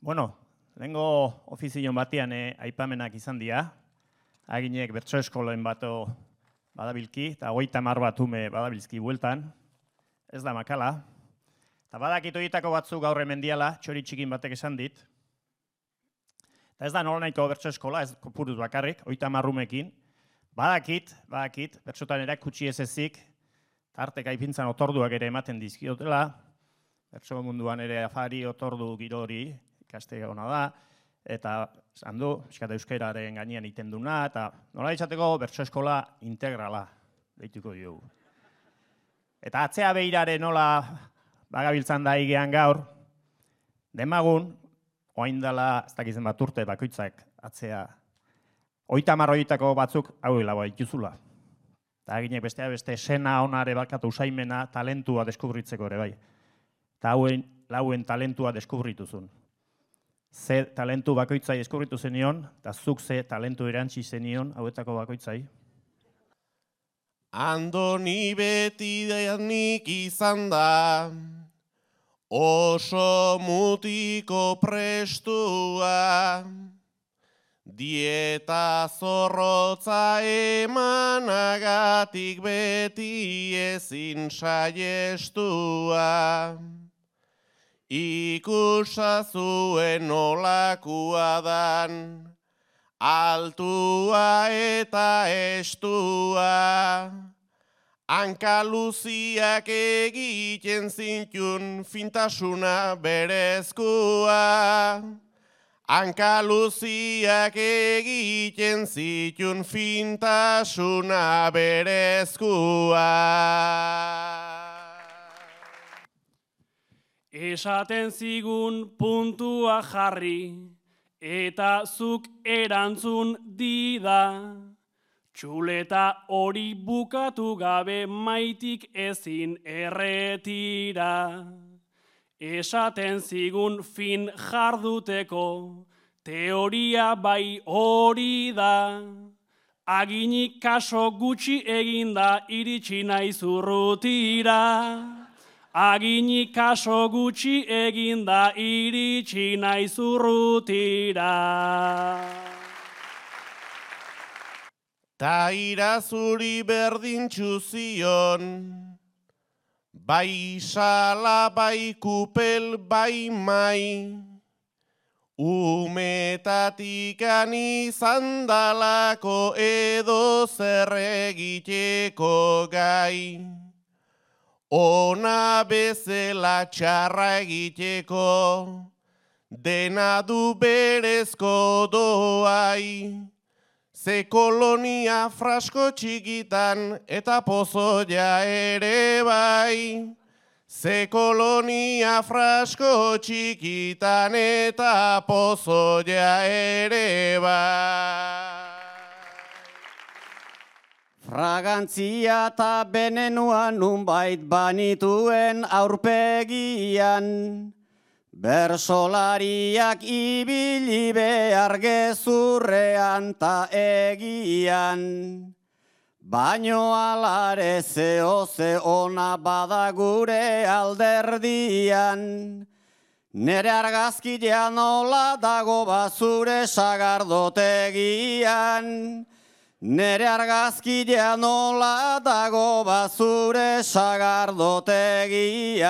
Bueno, lehengo ofizion batean aipamenak izan dira. Aginek bertso eskolen bato badabilki, eta 30 bat ume badabilzki bueltan. Ez da makala. Eta badakit horietako batzuk gaur hemen diala, txori txikin batek esan dit. Eta ez da nola nahiko bertso eskola, ez kopuruz bakarrik, 30 umekin. Badakit, bertsotan erakutsi ez ezik, tarteka ipintzan otorduak ere ematen dizkiotela, bertso munduan ere afari otordu girori ikaste ona da, eta esan du, eskata euskararen gainean iten duna, eta nola izateko bertso eskola integrala deituko diogu. Eta atzea behirare nola bagabiltzan da igean gaur, demagun, oain dela, ez dakizen bat urte bakoitzak atzea, 30 horietako batzuk hau hilagoa ituzula. Eta aginek beste sena onare bakatu usaimena, talentua deskubritzeko ere bai. Eta lauen talentua deskubrituzun. Ze talentu bakoitzai deskubritu zenion, eta zuk ze talentu erantzi zenion hauetako bakoitzai. Andoni beti nik izan da, oso mutiko prestua, dieta zorrotza emanagatik beti ezin saiestua. Ikusa zuen nolakua dan, altua eta estua, hanka luziak egiten zintun fintasuna berezkua. Hanka luziak egiten zitun fintasuna berezkua. Esaten zigun puntua jarri, eta zuk erantzun dida. Txuleta hori bukatu gabe maitik ezin erretira. Esaten zigun fin jarduteko, teoria bai hori da. Aginik kaso gutxi eginda iritsi naiz urrutira. Aginik kaso gutxi eginda iritsi naiz urrutira. Ta irazuri berdintxu zion, bai sala, bai kupel, bai mai, umetatikan izan dalako edo zer egiteko gai. Ona bezala txarra egiteko, dena du berezko doai. Ze kolonia frasko txikitan eta pozoia ere bai. Ze kolonia frasko txikitan eta pozoia ere bai. Fragantzia eta benenua nunbait banituen aurpegian, bersolariak ibili behar gezurrean ta egian. Baino alare zeo ze ona bada gure alderdian, nere argazkidea nola dago bazure sagardotegian. Nere argazkidea nola dago bazure sagardotegian.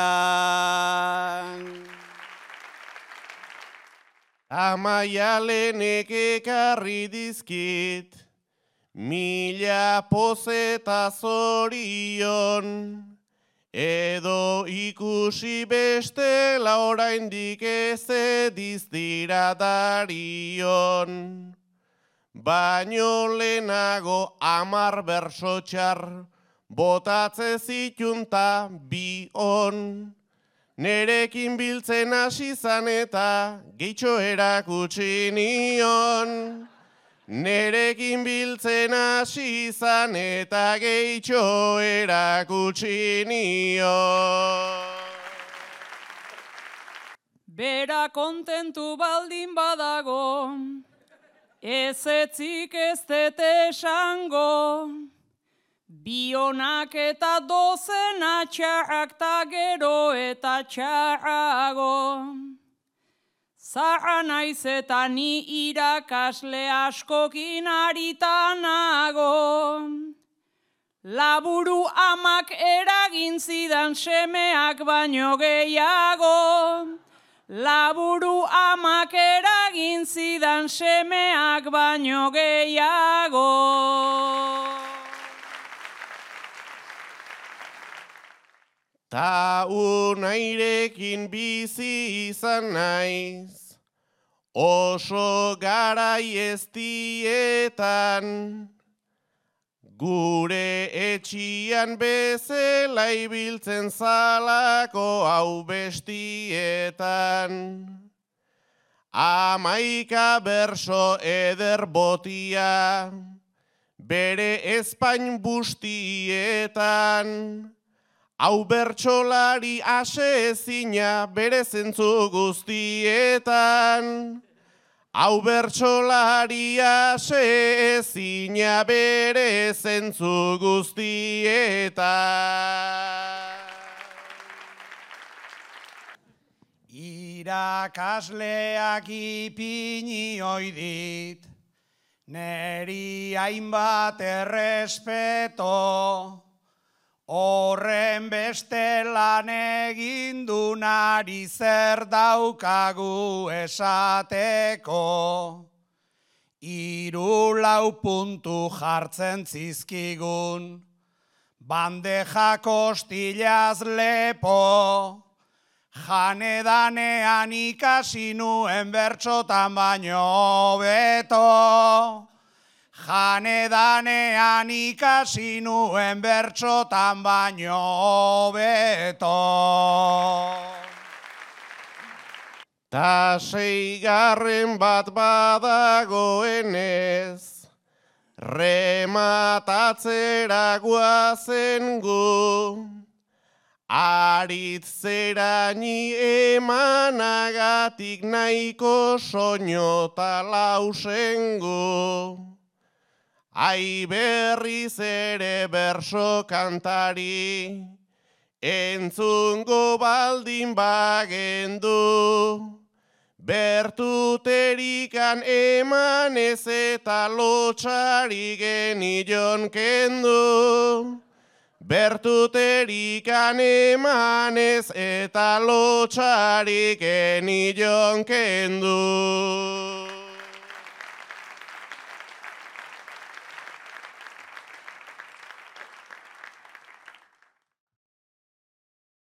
Amaialenek ekarri dizkit, mila pozeta zorion, edo ikusi bestela oraindik ez diztira darion. Baino lehenago 10 berso txar, botatze zitunta bi on. Nerekin biltzen hasi zan eta gehitxo erakutsi nion. Nerekin biltzen hasi zan eta gehitxo erakutsi nion. Bera kontentu baldin badago, ez etzik ez dete esango, bionak eta dozena txarrak ta gero eta txarrago. Zaharra naiz eta ni irakasle askokin aritanago. Laburu amak eragin zidan semeak baino gehiago. Laburu amak eragin zidan semeak baino gehiago. Ta unairekin bizi izan naiz, oso garai eztietan, gure etxian bezala ibiltzen zalako hau bestietan. 11 berso eder botia, bere ezpain bustietan, hau bertsolari ase ezina bere zentzu guztietan. Hau bertsolari ase ezina bere zentzu guztietan. Irakasleak ipini oidit, neri hainbat errespeto, horren beste lan egin du nari zer daukagu esateko. 3-4 puntu jartzen zizkigun, bandeja kostilaz lepo, janedanean ikasi nuen bertsotan baino beto. Janedanean ikasi nuen bertsotan baino beto. Ta 6. bat badagoenez, rematatzera guazen gu, aritzeraini emanagatik nahiko soño ta lausengu. Ai berriz ere berso kantari, entzungo baldin bagendu, bertuterikan emanez eta lotxari genion kendu. Bertuterikan emanez eta lotxari genion kendu.